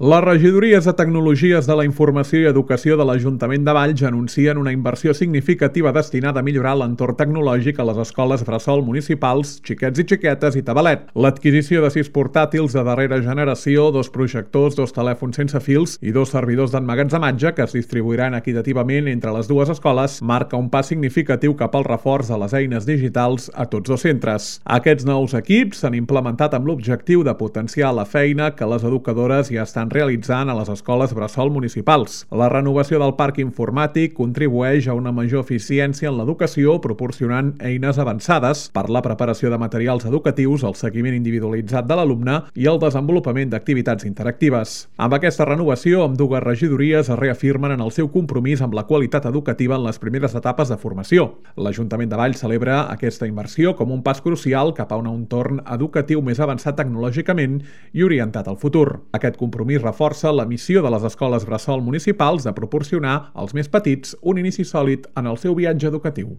Les regidories de Tecnologies de la Informació i Educació de l'Ajuntament de Valls anuncien una inversió significativa destinada a millorar l'entorn tecnològic a les escoles bressol municipals, Xiquets i Xiquetes i Tabalet. L'adquisició de 6 portàtils de darrera generació, 2 projectors, 2 telèfons sense fils i 2 servidors d'emmagatzematge que es distribuiran equitativament entre les dues escoles marca un pas significatiu cap al reforç de les eines digitals a tots dos centres. Aquests nous equips s'han implementat amb l'objectiu de potenciar la feina que les educadores ja estan realitzant a les escoles bressol municipals. La renovació del parc informàtic contribueix a una major eficiència en l'educació, proporcionant eines avançades per la preparació de materials educatius, el seguiment individualitzat de l'alumne i el desenvolupament d'activitats interactives. Amb aquesta renovació, ambdues regidories es reafirmen en el seu compromís amb la qualitat educativa en les primeres etapes de formació. L'Ajuntament de Valls celebra aquesta inversió com un pas crucial cap a un entorn educatiu més avançat tecnològicament i orientat al futur. Aquest compromís reforça la missió de les escoles bressol municipals de proporcionar als més petits un inici sòlid en el seu viatge educatiu.